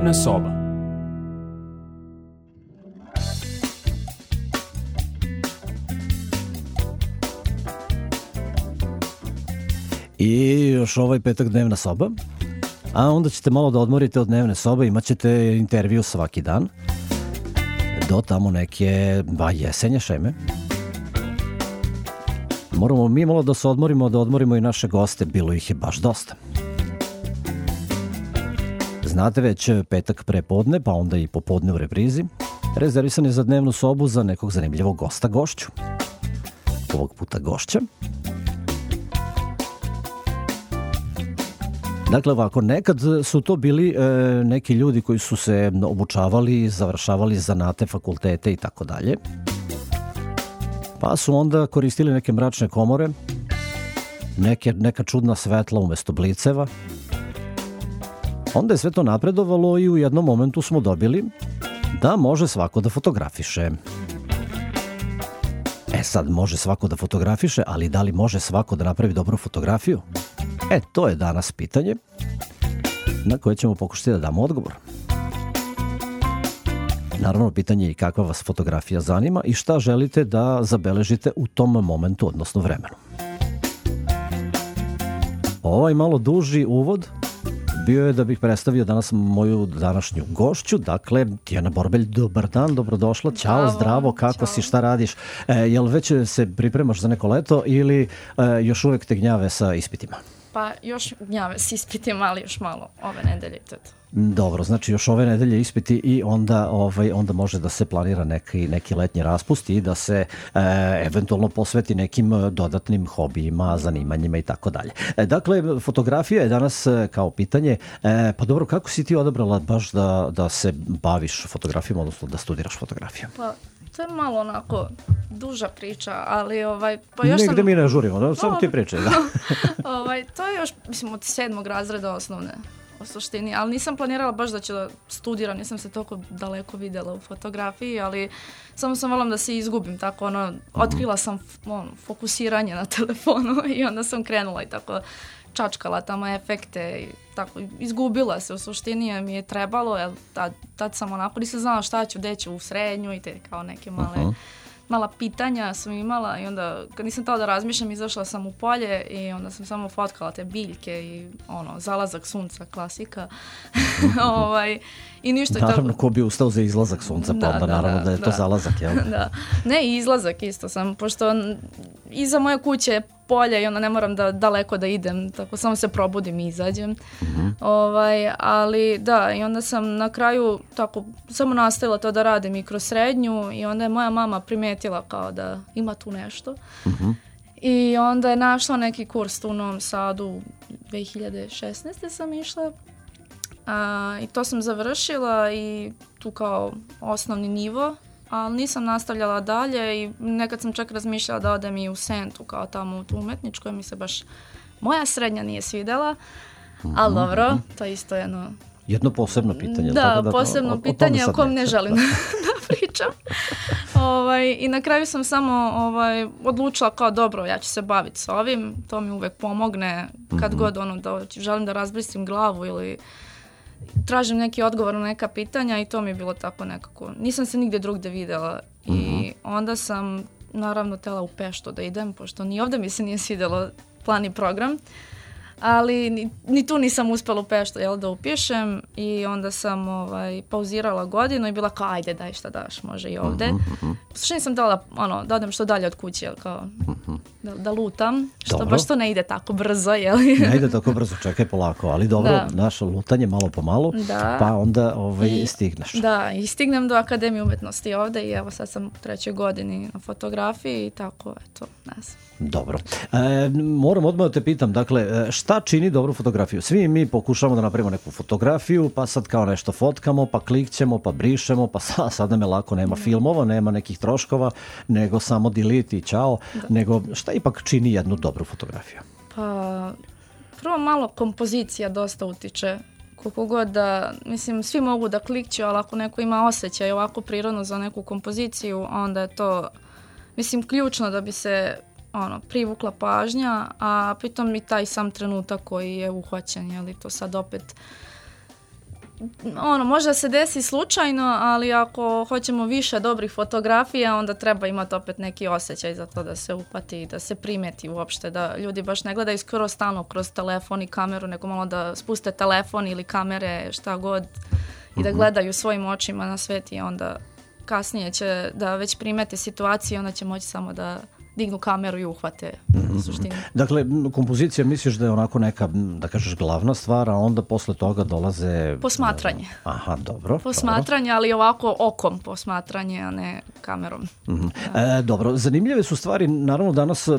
Dnevna soba. I još ovaj petak dnevna soba, a onda ćete malo da odmorite od dnevne sobe, imat ćete intervju svaki dan, do tamo neke jesenje šeme. Moramo mi malo da se odmorimo, da odmorimo i naše goste, bilo ih je baš dosta. Znate već, petak prepodne, pa onda i popodne u reprizi, rezervisan je za dnevnu sobu za nekog zanimljivog gosta, gošću. Ovog puta gošća. Dakle, ovako, nekad su to bili neki ljudi koji su se obučavali, završavali zanate, fakultete i tako dalje. Pa su onda koristili neke mračne komore, neka čudna svetla umjesto bliceva. Onda je sve to napredovalo i u jednom momentu smo dobili da može svako da fotografiše. Sad može svako da fotografiše, ali da li može svako da napravi dobru fotografiju? To je danas pitanje na koje ćemo pokušati da damo odgovor. Naravno, pitanje je i kakva vas fotografija zanima i šta želite da zabeležite u tom momentu, odnosno vremenu. Ovaj malo duži uvod bio je da bih predstavio danas moju današnju gošću, dakle Tijana Borbelj, dobar dan, dobrodošla, ćao, zdravo, kako si, šta radiš? Jel već se pripremaš za neko leto ili još uvek te gnjave sa ispitima? Pa još gnjave s ispitima, ali još malo ove nedelje i to. Dobro, znači još ove nedelje ispiti i onda može da se planira neki letnji raspust i da se eventualno posveti nekim dodatnim hobijima, zanimanjima i tako dalje. Dakle, fotografija je danas kao pitanje. Pa dobro, kako si ti odabrala baš da se baviš fotografijom, odnosno da studiraš fotografiju? Pa to je malo onako duža priča, ali pa još negde mi ne žurimo, samo ti pričaj. Da. To je još, mislim, od 7. razreda osnovne u suštini, ali nisam planirala baš da ću da studiram, nisam se toliko daleko vidjela u fotografiji, ali samo sam voljela da se izgubim, tako otkrila sam fokusiranje na telefonu i onda sam krenula i tako čačkala tamo efekte i tako izgubila se u suštini, jer mi je trebalo, jer tad sam onako nisam znala šta ću, gde ću u srednju i te kao neke mala pitanja sam imala i onda kad nisam tao da razmišljam izašla sam u polje i onda sam samo fotkala te biljke i zalazak sunca, klasika. I ništa. Naravno, ko bi ustao za izlazak sunca, pa onda naravno da je to zalazak, jel? Da. Ne, i izlazak isto sam, pošto iza moje kuće je polje i onda ne moram daleko da idem, tako samo se probudim i izađem. Ali da, i onda sam na kraju tako samo nastavila to da radim i kroz srednju i onda je moja mama primetila kao da ima tu nešto. I onda je našla neki kurs tu u Novom Sadu, 2016. sam išla. I to sam završila i tu kao osnovni nivo, ali nisam nastavljala dalje i nekad sam čak razmišljala da odem i u Sentu kao tamo u tu umetničkoj, mi se baš moja srednja nije svidjela, ali dobro, to je isto jedno posebno pitanje. Da, posebno pitanje o kom ne želim da pričam. I na kraju sam samo odlučila kao dobro, ja ću se baviti s ovim, to mi uvek pomogne kad god da želim da razbristim glavu ili tražim neki odgovor na neka pitanja i to mi je bilo tako nekako. Nisam se nigdje drugdje vidjela i onda sam naravno tela u Peštu da idem, pošto ni ovdje mi se nije svidjelo plan i program, ali ni tu nisam uspjela u Peštu da upišem i onda sam pauzirala godinu i bila kao ajde daj šta daš, može i ovdje. Što nisam dala da odem što dalje od kuće, kao da lutam, što baš to ne ide tako brzo. Ne ide tako brzo, čekaj polako, ali dobro, naše lutanje malo po malo, pa onda stigneš. Da, i stignem do Akademije umjetnosti ovdje i evo sad sam u 3. godini na fotografiji i tako, eto, ne znam. Dobro. Moram odmah da te pitam, dakle, šta čini dobru fotografiju? Svi mi pokušamo da napravimo neku fotografiju, pa sad kao nešto fotkamo, pa klikćemo, pa brišemo, pa sad nam je lako, nema filmova, nema nekih troškova, nego samo delete i čao. Nego šta ipak čini jednu dobru fotografiju? Pa, prvo malo kompozicija dosta utiče. Koliko god da, mislim, svi mogu da klikću, ali ako neko ima osjećaj ovako prirodno za neku kompoziciju, onda je to, mislim, ključno da bi se privukla pažnja, a pritom i taj sam trenutak koji je uhvaćen, je li to sad opet možda se desi slučajno, ali ako hoćemo više dobrih fotografija, onda treba imati opet neki osjećaj za to da se upati, da se primeti uopšte, da ljudi baš ne gledaju skoro stalno kroz telefon i kameru, nego malo da spuste telefon ili kamere, šta god, i da gledaju svojim očima na svet, i onda kasnije će da već primete situaciju, onda će moći samo da dignu kameru i uhvate u suštini. Dakle, kompozicija misliš da je onako neka, da kažeš, glavna stvar, a onda posle toga dolaze... Posmatranje. Aha, dobro. Posmatranje, ali ovako okom posmatranje, a ne kamerom. Dobro, zanimljive su stvari. Naravno, danas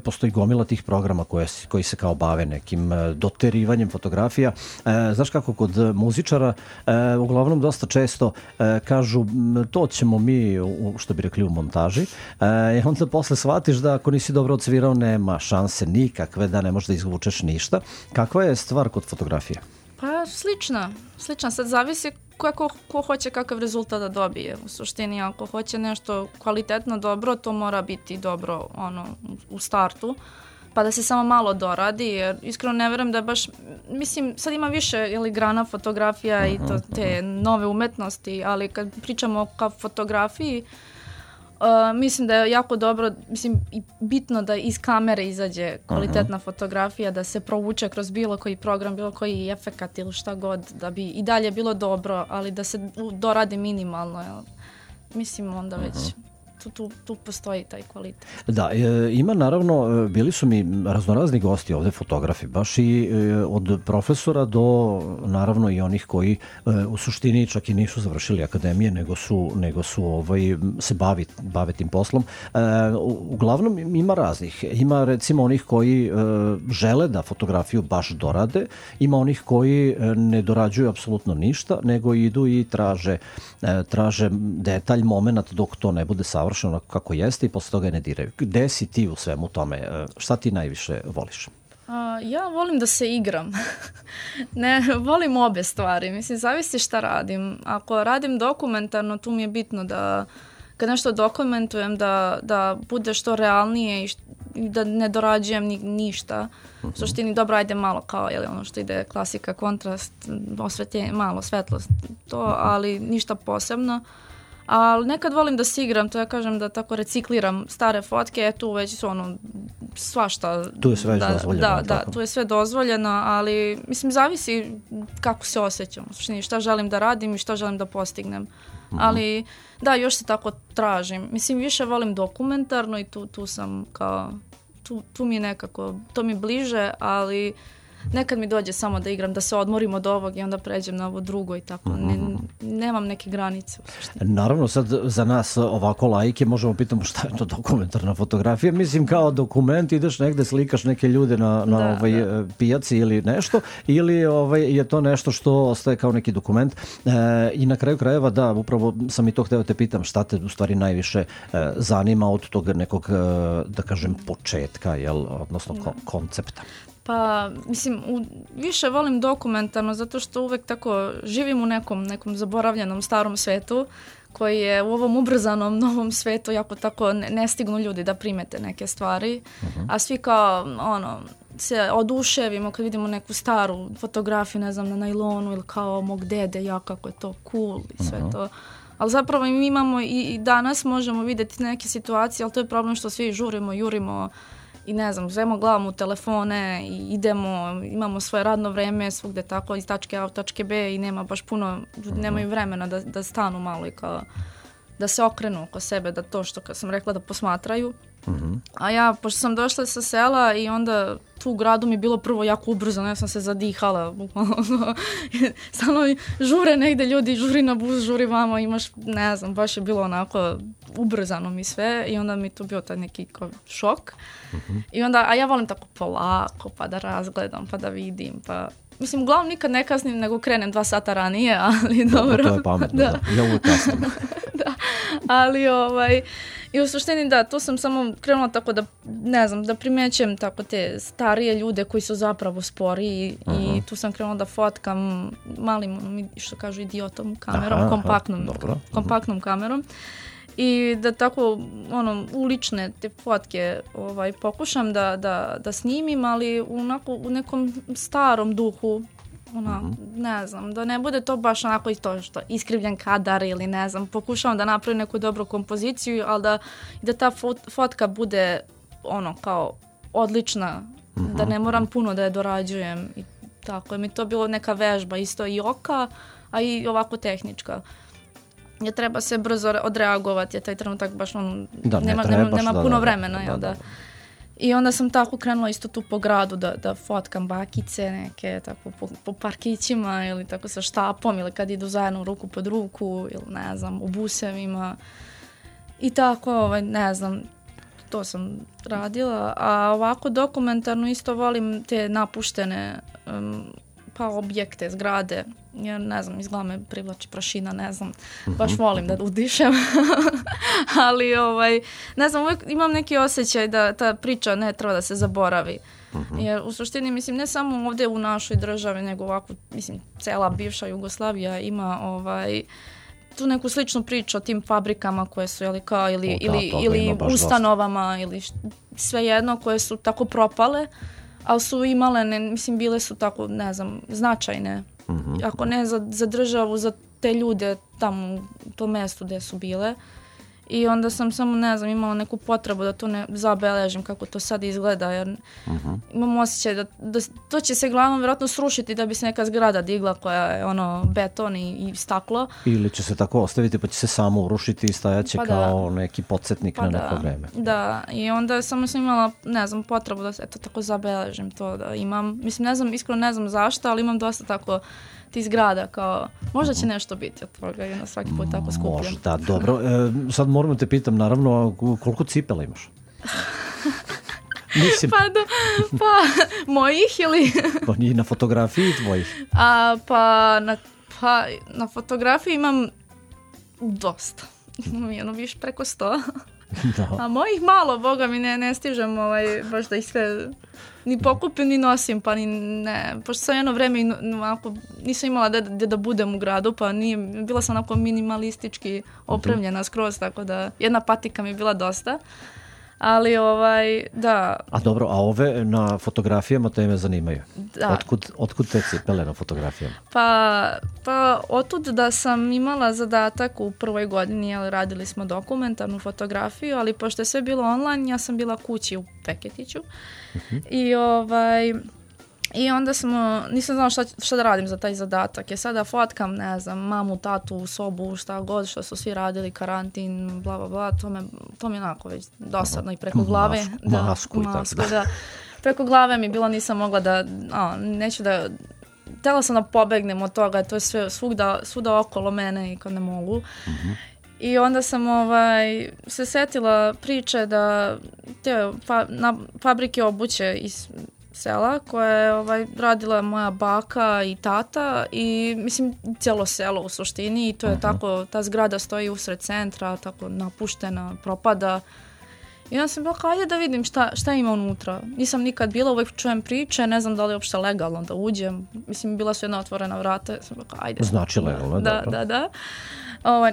postoji gomila tih programa koji se kao bave nekim doterivanjem fotografija. Znaš kako, kod muzičara uglavnom dosta često kažu to ćemo mi, što bi rekli, u montaži. Onda posle shvatiš da ako nisi dobro odsvirao, nema šanse nikakve, da ne možeš da izvučeš ništa. Kakva je stvar kod fotografije? Pa slična. Sad zavisi ko hoće kakav rezultat da dobije. U suštini, ako hoće nešto kvalitetno dobro, to mora biti dobro u startu, pa da se samo malo doradi, jer iskreno ne verujem da baš, mislim, sad ima više grana fotografija i to te nove umetnosti, ali kad pričamo o fotografiji, mislim da je jako dobro, mislim, i bitno da iz kamere izađe kvalitetna fotografija, da se provuče kroz bilo koji program, bilo koji efekat ili šta god, da bi i dalje bilo dobro, ali da se doradi minimalno. Mislim, onda već tu postoji taj kvalitet. Da, ima naravno, bili su mi raznorazni gosti ovde, fotografi, baš i od profesora do naravno i onih koji u suštini čak i nisu završili akademije, nego su se bave tim poslom. Uglavnom ima raznih. Ima recimo onih koji žele da fotografiju baš dorade, ima onih koji ne dorađuju apsolutno ništa, nego idu i traže detalj, moment dok to ne bude savršeno kako jeste i posle toga ne diraju. Gde si ti u svemu tome? Šta ti najviše voliš? Ja volim da se igram. Ne, volim obe stvari. Mislim, zavisi šta radim. Ako radim dokumentarno, tu mi je bitno da kad nešto dokumentujem da bude što realnije i da ne dorađujem ništa. U suštini, dobro, ajde malo kao ono što ide klasika, kontrast, malo svetlost, to, ali ništa posebno. Ali nekad volim da se igram, to ja kažem da tako recikliram stare fotke, tu već su svašta. Tu je sve dozvoljeno. Da, tu je sve dozvoljeno, ali mislim zavisi kako se osjećam, u suštini šta želim da radim i šta želim da postignem. Ali da, još se tako tražim. Mislim, više volim dokumentarno i tu sam kao, tu mi je nekako, to mi bliže, ali nekad mi dođe samo da igram, da se odmorim od ovog i onda pređem na ovo drugo i tako. Nemam neke granice. Naravno, sad za nas ovako laike možemo pitamo šta je to dokumentarna fotografija. Mislim, kao dokument, ideš negde, slikaš neke ljude na pijaci ili nešto, ili je to nešto što ostaje kao neki dokument. I na kraju krajeva, da, upravo sam i to hteo te pitam, šta te u stvari najviše zanima od toga nekog, da kažem, početka, odnosno koncepta? Pa, mislim, više volim dokumentarno zato što uvek tako živim u nekom zaboravljenom starom svetu koji je u ovom ubrzanom novom svetu jako tako ne stignu ljudi da primete neke stvari, a svi kao, se oduševimo kad vidimo neku staru fotografiju, ne znam, na najlonu ili kao mog dede, kako je to cool i sve to. Ali zapravo mi imamo i danas možemo vidjeti neke situacije, ali to je problem što svi žurimo, jurimo, i ne znam, uzmemo glavom u telefone i idemo, imamo svoje radno vreme svugde tako iz tačke A u tačke B i nema baš puno, nemaju vremena da stanu malo i kao da se okrenu oko sebe, da to što kad sam rekla da posmatraju. A ja, pošto sam došla sa sela i onda tu u gradu mi je bilo prvo jako ubrzano, ja sam se zadihala, stano žure negde ljudi, žuri na bus, žuri vamo, imaš, ne znam, baš je bilo onako ubrzano mi sve i onda mi to bio taj neki šok. I onda, a ja volim tako polako, pa da razgledam, pa da vidim, pa mislim, uglavnom nikad ne kasnim, nego krenem 2 sata ranije, ali dobro. To je pametno, da. Ja uvijek kasnim. Da, ali i u suštini da, tu sam samo krenula tako da, ne znam, da primećujem tako te starije ljude koji su zapravo sporiji i tu sam krenula da fotkam malim, što kažu, idiotom kamerom, kompaktnom kamerom. I da tako, ulične te fotke pokušam da snimim, ali u nekom starom duhu, ne znam, da ne bude to baš onako i to što iskrivljen kadar ili ne znam, pokušavam da napravim neku dobru kompoziciju, ali da ta fotka bude kao odlična, da ne moram puno da je dorađujem i tako je mi to bilo neka vežba, isto i oka, a i ovako tehnička. Je treba se brzo odreagovati, je taj trenutak baš nema puno vremena. Da. I onda sam tako krenula isto tu po gradu da fotkam bakice neke, tako po parkićima ili tako sa štapom ili kad idu zajedno ruku pod ruku ili ne znam, u busevima. I tako, ne znam, to sam radila. A ovako dokumentarno isto volim te napuštene objekte, zgrade. Ja ne znam, izgleda me privlači prašina, ne znam, baš volim da udišem, ali ne znam, uvijek imam neki osjećaj da ta priča ne treba da se zaboravi, jer u suštini, mislim, ne samo ovdje u našoj državi, nego ovako, mislim, cela bivša Jugoslavija ima tu neku sličnu priču o tim fabrikama koje su, ili ustanovama, ili svejedno, koje su tako propale, ali su imale, mislim, bile su tako, ne znam, značajne. Ako ne za državu, za te ljude tamo u tom mjestu gdje su bile. I onda sam samo, ne znam, imala neku potrebu da to ne zabeležim kako to sad izgleda, jer imam osjećaj da to će se glavnom vjerojatno srušiti da bi se neka zgrada digla koja je beton i staklo. Ili će se tako ostaviti pa će se samo urušiti i stajaće kao neki podsjetnik na neko vreme. Da, i onda sam imala, ne znam, potrebu da se tako zabeležim to da imam. Mislim, ne znam, iskreno ne znam zašto, ali imam dosta tako ti zgrada, kao, možda će nešto biti od toga i onda svaki put tako skupljam. Možda, dobro. Sad moram te pitam, naravno, koliko cipela imaš? Mislim. Mojih ili? Pa nije na fotografiji tvojih. Na fotografiji imam dosta. Imam više preko 100. Da. A mojih malo, boga mi ne stižem baš da ih sve ni pokupim ni nosim, pa ni ne. Pošto sam jedno vreme nisam imala da budem u gradu, pa bila sam onako minimalistički opremljena skroz, tako da jedna patika mi je bila dosta. Ali da. A dobro, a ove na fotografijama te me zanimaju. Da. Otkud te cipele na fotografijama? Pa otud da sam imala zadatak u prvoj godini, ali radili smo dokumentarnu fotografiju, ali pošto je sve bilo online, ja sam bila kući u Feketiću. I onda nisam znala šta da radim za taj zadatak. Ja sada fotkam, ne znam, mamu, tatu u sobu, šta god, što su svi radili, karantin, bla, bla, bla. To mi je onako već dosadno i preko glave. Masku, da. Preko glave mi bilo, nisam mogla neću da, htjela sam da pobegnem od toga, to je sve svuda okolo mene i kad ne mogu. I onda sam se setila priče da te fabrike obuće iz sela koje je radila moja baka i tata i mislim cijelo selo u suštini i to je tako, ta zgrada stoji usred centra, tako napuštena, propada. I onda sam bila ajde da vidim šta ima unutra. Nisam nikad bila, uvijek čujem priče, ne znam da li je uopšte legalno da uđem. Mislim, bila su jedna otvorena vrata, sam bila ajde. Znači legalno, da.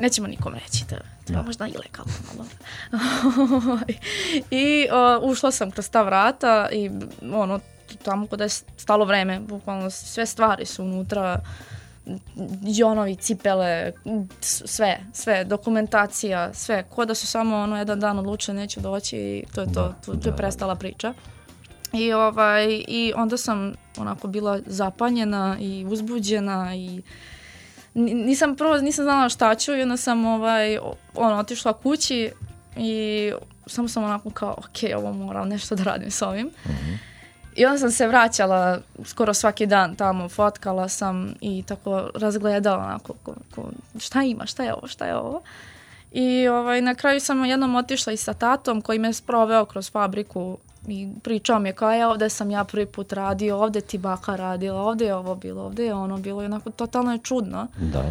Nećemo nikom reći da možda ilegalno. I ušla sam kroz ta vrata i tamo kada je stalo vreme, bukvalno sve stvari su unutra, jonovi, cipele, sve, dokumentacija, sve, ko da su samo jedan dan odlučili neću doći i to je to, tu je prestala priča. I onda sam onako bila zapanjena i uzbuđena i nisam znala šta ću i onda sam otišla kući i samo sam onako kao ovo moram nešto da radim s ovim. I onda sam se vraćala skoro svaki dan tamo, fotkala sam i tako razgledala onako šta ima, šta je ovo. I na kraju sam jednom otišla i sa tatom koji me sproveo kroz fabriku i pričao mi je kao ovdje sam ja prvi put radio, ovdje ti baka radila, ovdje je ovo bilo, ovdje je ono bilo i onako totalno je čudno. Da.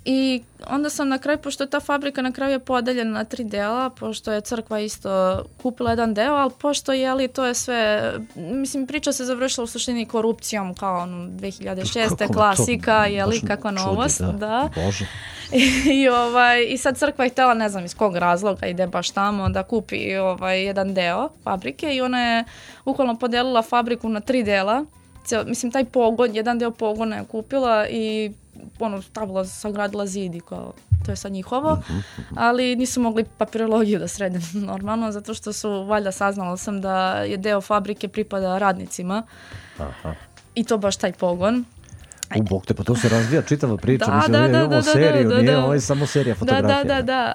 I onda sam na kraju, pošto je ta fabrika na kraju je podeljena na 3 dela, pošto je crkva isto kupila jedan deo, ali pošto to je sve, mislim priča se završila u suštini korupcijom kao 2006. klasika, kakva novost. Da. Bože. I sad crkva je htjela, ne znam iz kog razloga, ide baš tamo da kupi jedan deo fabrike i ona je bukvalno podelila fabriku na 3 dela. mislim, taj pogon, jedan deo pogona je kupila i stavila, sagradila zid i kao, to je sad njihovo, ali nisu mogli papirologiju da srede normalno, zato što su, valjda saznala sam da je deo fabrike pripada radnicima. I to baš taj pogon. Bog te, pa to se razvija čitava priča, imamo seriju, nije ovo samo serija fotografija. Da.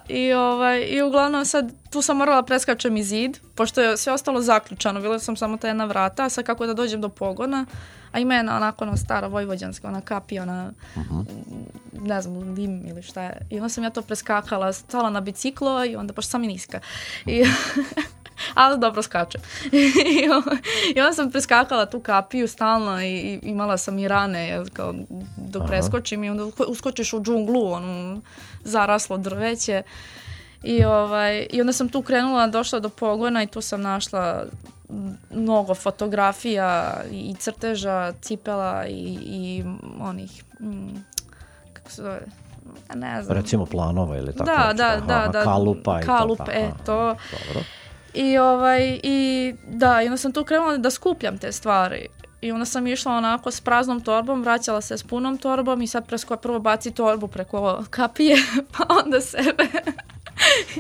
I uglavnom sad tu sam morala preskačem i zid, pošto je sve ostalo zaključano, bila sam samo ta jedna vrata, a sad kako da dođem do pogona, a ima jedna onako stara vojvođanska, ona kapija, ne znam, dim ili šta je. I onda sam ja to preskakala, stala na biciklo i onda, pošto sam i niska. Ali dobro skačem. I onda sam preskakala tu kapiju stalno i imala sam i rane dok preskočim i onda uskočiš u džunglu, zaraslo drveće. I onda sam tu krenula, došla do pogona i tu sam našla mnogo fotografija i crteža, cipela i onih, kako se zove, ne znam. Recimo planova ili tako? Da. Kalupa i to. To. Dobro. I onda sam tu krenula da skupljam te stvari. I onda sam išla onako s praznom torbom, vraćala se s punom torbom i sad prvo baci torbu preko kapije, pa onda sebe.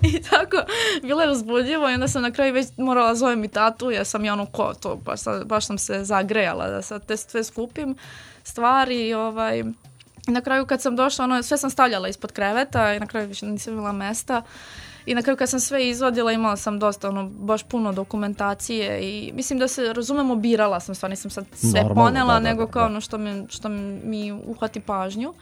I tako, bilo je uzbudljivo i onda sam na kraju već morala zovem i tatu, jer sam baš sam se zagrejala da sad te sve skupim stvari. I na kraju kad sam došla, sve sam stavljala ispod kreveta i na kraju više nisam imala mesta. I na kraju kad sam sve izvadila, imala sam dosta, baš puno dokumentacije i mislim da se, razumemo, birala sam, stvarno nisam sad sve ponela, nego kao što mi uhvati pažnju.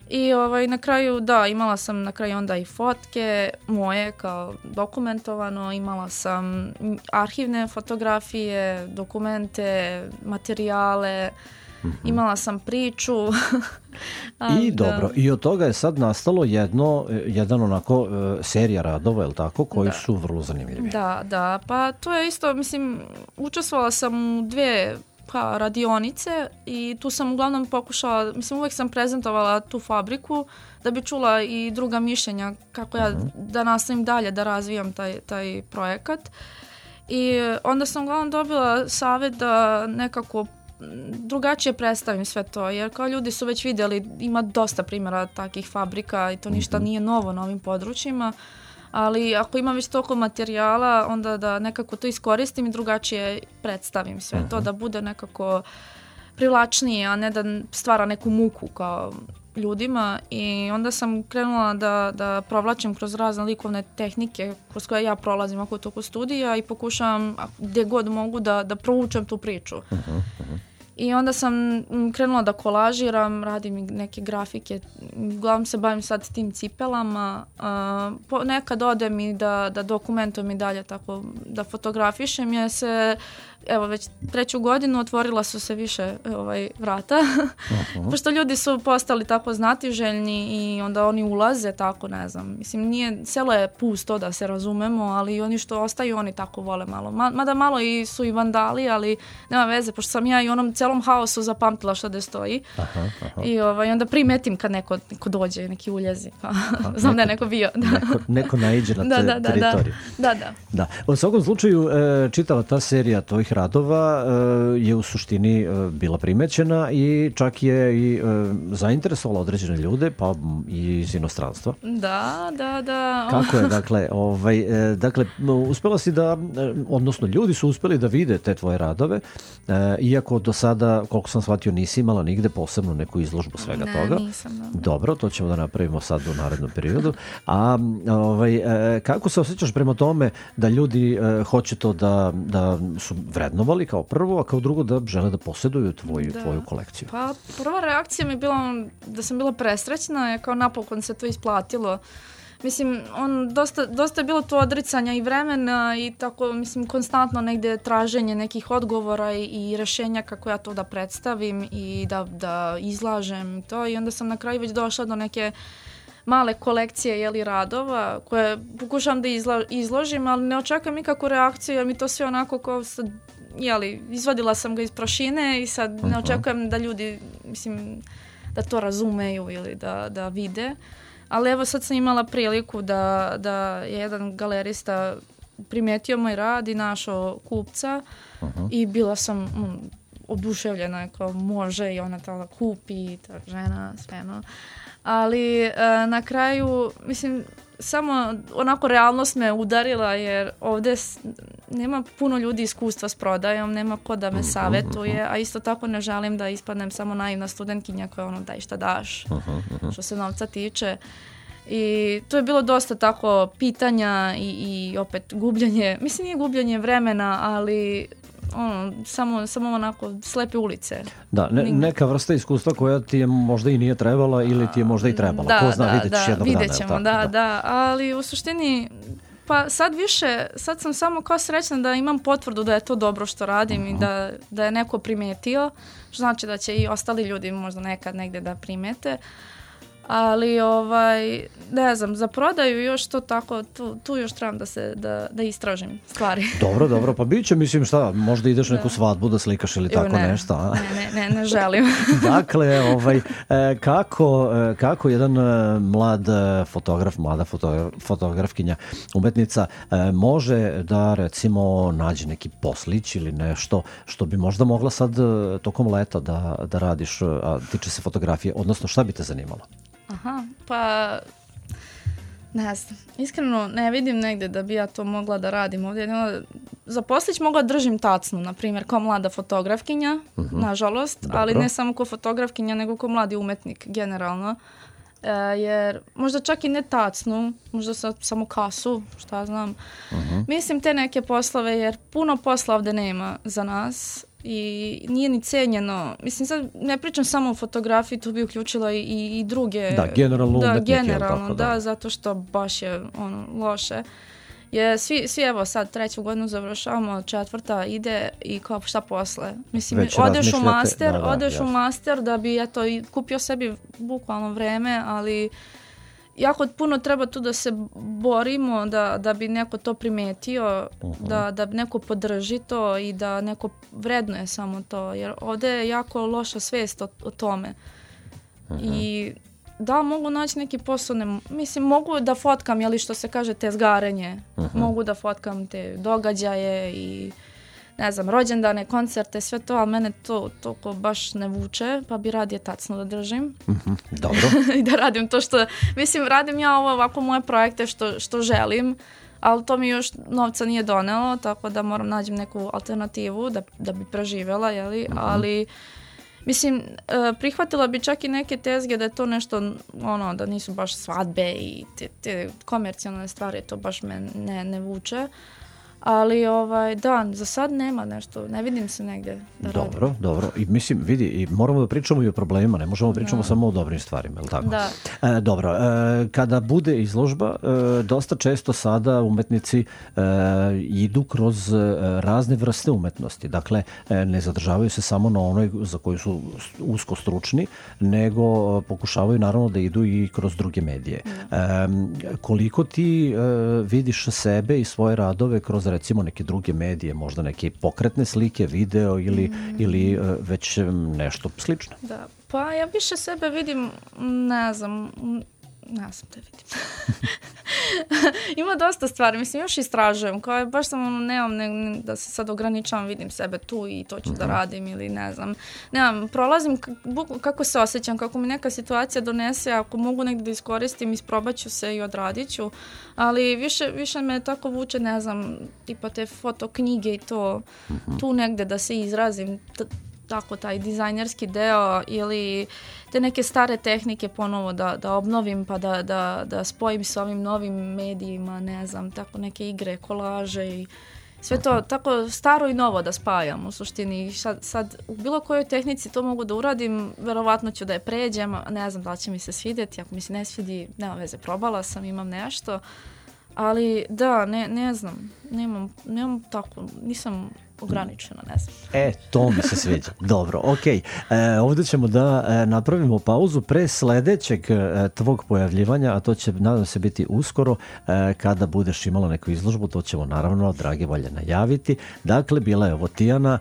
I na kraju, imala sam na kraju onda i fotke moje kao dokumentovano, imala sam arhivne fotografije, dokumente, materijale, imala sam priču. I dobro, i od toga je sad nastalo jedan onako serija radova, je li tako, koji su vrlo zanimljivi. Da, pa to je isto, mislim, učestvovala sam u 2 radionice i tu sam uglavnom pokušala, mislim, uvek sam prezentovala tu fabriku da bi čula i druga mišljenja kako ja da nastavim dalje da razvijam taj projekat. I onda sam uglavnom dobila savjet da nekako drugačije predstavim sve to, jer kao ljudi su već vidjeli, ima dosta primjera takih fabrika i to ništa nije novo na ovim područjima, ali ako imam već toliko materijala, onda da nekako to iskoristim i drugačije predstavim sve to, da bude nekako privlačnije, a ne da stvara neku muku kao ljudima. I onda sam krenula da provlačim kroz razne likovne tehnike kroz koje ja prolazim oko toku studija i pokušavam gdje god mogu da proučem tu priču. I onda sam krenula da kolažiram, radim neke grafike, uglavnom se bavim sad tim cipelama, nekad odem i da dokumentujem i dalje tako da fotografišem, jer se evo već 3. godinu otvorila su se više vrata, pošto ljudi su postali tako znatiželjni i onda oni ulaze tako, ne znam, mislim selo je pusto da se razumemo, ali oni što ostaju oni tako vole malo, mada malo su i vandali, ali nema veze, pošto sam ja i onom celom haosu zapamtila što da stoji. I onda primetim kad neko dođe, neki uljezi, znam da je neko bio. Neko naiđe na teritoriju. Da. U svakom slučaju čitava ta serija tvojih radova je u suštini bila primećena i čak je i zainteresovala određene ljude, pa i iz inostranstva. Da. Kako je, dakle, uspela si da, odnosno ljudi su uspeli da vide te tvoje radove, iako do sada, koliko sam shvatio, nisi imala nigde posebno neku izložbu svega toga. Ne, nisam. Dobro, to ćemo da napravimo sad u narednom periodu. A kako se osjećaš prema tome da ljudi hoće to da su vrednovali kao prvo, a kao drugo da žele da posjeduju tvoju kolekciju? Pa prva reakcija mi je bila da sam bila presrećna, je kao napokon se to isplatilo. Mislim, dosta je bilo to odricanja i vremena i tako, mislim, konstantno negdje traženje nekih odgovora i rješenja kako ja to da predstavim i da izlažem to. I onda sam na kraju već došla do neke male kolekcije radova koje pokušavam da izložim, ali ne očekam nikakvu reakciju jer mi to sve onako kao sad, izvadila sam ga iz prašine i sad ne očekujem da ljudi, mislim, da to razumeju ili da vide. Ali evo sad sam imala priliku da je jedan galerista primetio moj rad i našao kupca i bila sam oduševljena, kao može i ona to kupi, ta žena, sve no. Ali na kraju, mislim, samo onako realnost me udarila jer ovdje nema puno ljudi iskustva s prodajom, nema ko da me savjetuje, a isto tako ne želim da ispadnem samo naivna studentkinja koja ono daj šta daš, što se novca tiče. I to je bilo dosta tako pitanja i opet gubljenje, mislim nije gubljenje vremena, ali samo onako slepe ulice. Da, neka vrsta iskustva koja ti je možda i nije trebala ili ti je možda i trebala. Ko zna, vidjet ćeš jednog dana. Vidjet ćemo, da. Ali u suštini, pa sad sam samo kao srećna da imam potvrdu da je to dobro što radim i da je neko primetio, što znači da će i ostali ljudi možda nekad negdje da primete. Ali ne znam, za prodaju još to tako, tu još trebam da istražim stvari. Dobro, pa bit će, mislim šta, možda ideš neku svadbu da slikaš ili tako nešto. A? Ne želim. Dakle, kako jedan mlada fotografkinja, umetnica, može da recimo nađe neki poslić ili nešto što bi možda mogla sad tokom leta da radiš, a tiče se fotografije, odnosno šta bi te zanimalo? Aha, pa ne znam, iskreno ne vidim negdje da bi ja to mogla da radim ovdje. Za poslić mogla držim tacnu, na primjer, kao mlada fotografkinja, nažalost, dobro. Ali ne samo kao fotografkinja, nego kao mladi umetnik, generalno. Jer možda čak i ne tacnu, možda samo kasu, šta znam. Mislim te neke poslove, jer puno posla ovdje nema za nas. I nije ni cenjeno. Mislim, sad ne pričam samo o fotografiji, tu bi uključila i druge. Da, generalno umetnike. Generalno, da, zato što baš je loše. Svi evo sad 3. godinu završavamo, 4. ide i kao šta posle. Mislim, odeš u master da bi kupio sebi bukvalno vreme, ali jako puno treba tu da se borimo, da bi neko to primetio, da bi neko podrži to i da neko vrednuje samo to, jer ovdje je jako loša svijest o tome. I da, mogu naći neki posao, mislim, mogu da fotkam, jeli što se kaže, tezgarenje, mogu da fotkam te događaje i ne znam, rođendane, koncerte, sve to, ali mene to toliko baš ne vuče, pa bi radije tacno da držim. Dobro. I da radim to što, mislim, radim ja ovako moje projekte što želim, ali to mi još novca nije donelo, tako da moram naći neku alternativu da bi preživjela, jeli, ali mislim, prihvatila bi čak i neke tezge da je to nešto, da nisu baš svadbe i te komercijalne stvari, to baš me ne vuče. Ali da, za sad nema nešto, ne vidim se negdje da radim. Dobro. I mislim, vidi, i moramo da pričamo i o problemima, ne možemo pričamo samo o dobrim stvarima, je li tako? Da. Dobro, kada bude izložba, dosta često sada umetnici idu kroz razne vrste umetnosti. Dakle, ne zadržavaju se samo na onoj za koju su usko stručni, nego pokušavaju naravno da idu i kroz druge medije. Koliko ti vidiš sebe i svoje radove kroz recimo neke druge medije, možda neke pokretne slike, video ili već nešto slično? Da, pa ja više sebe vidim, ne znam te vidim. Ima dosta stvari, mislim, još istražujem, kao baš sam nemam da se sad ograničavam, vidim sebe tu i to ću da radim ili ne znam. Nemam, prolazim kako se osjećam, kako mi neka situacija donese, ako mogu negdje da iskoristim, isprobat ću se i odradit ću, ali više me tako vuče, ne znam, tipa te fotoknjige i to, tu negdje da se izrazim, tako taj dizajnerski deo ili te neke stare tehnike ponovo da obnovim pa da spojim s ovim novim medijima, ne znam, tako neke igre, kolaže i sve to tako staro i novo da spajam u suštini. Sad u bilo kojoj tehnici to mogu da uradim, verovatno ću da je pređem, ne znam da li će mi se svidjeti, ako mi se ne svidi, nema veze, probala sam, imam nešto, ali da, ne znam, nemam tako, nisam ograničena, ne znam. To mi se sviđa. Dobro, okej. Ovdje ćemo da napravimo pauzu pre sledećeg tvog pojavljivanja, a to će, nadam se, biti uskoro kada budeš imala neku izložbu, to ćemo naravno, drage volje, najaviti. Dakle, bila je ovo Tijana.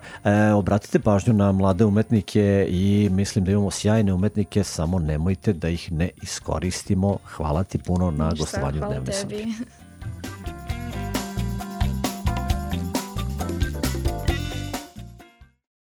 Obratite pažnju na mlade umetnike i mislim da imamo sjajne umetnike, samo nemojte da ih ne iskoristimo. Hvala ti puno na gostovanju Dnevne Srbije.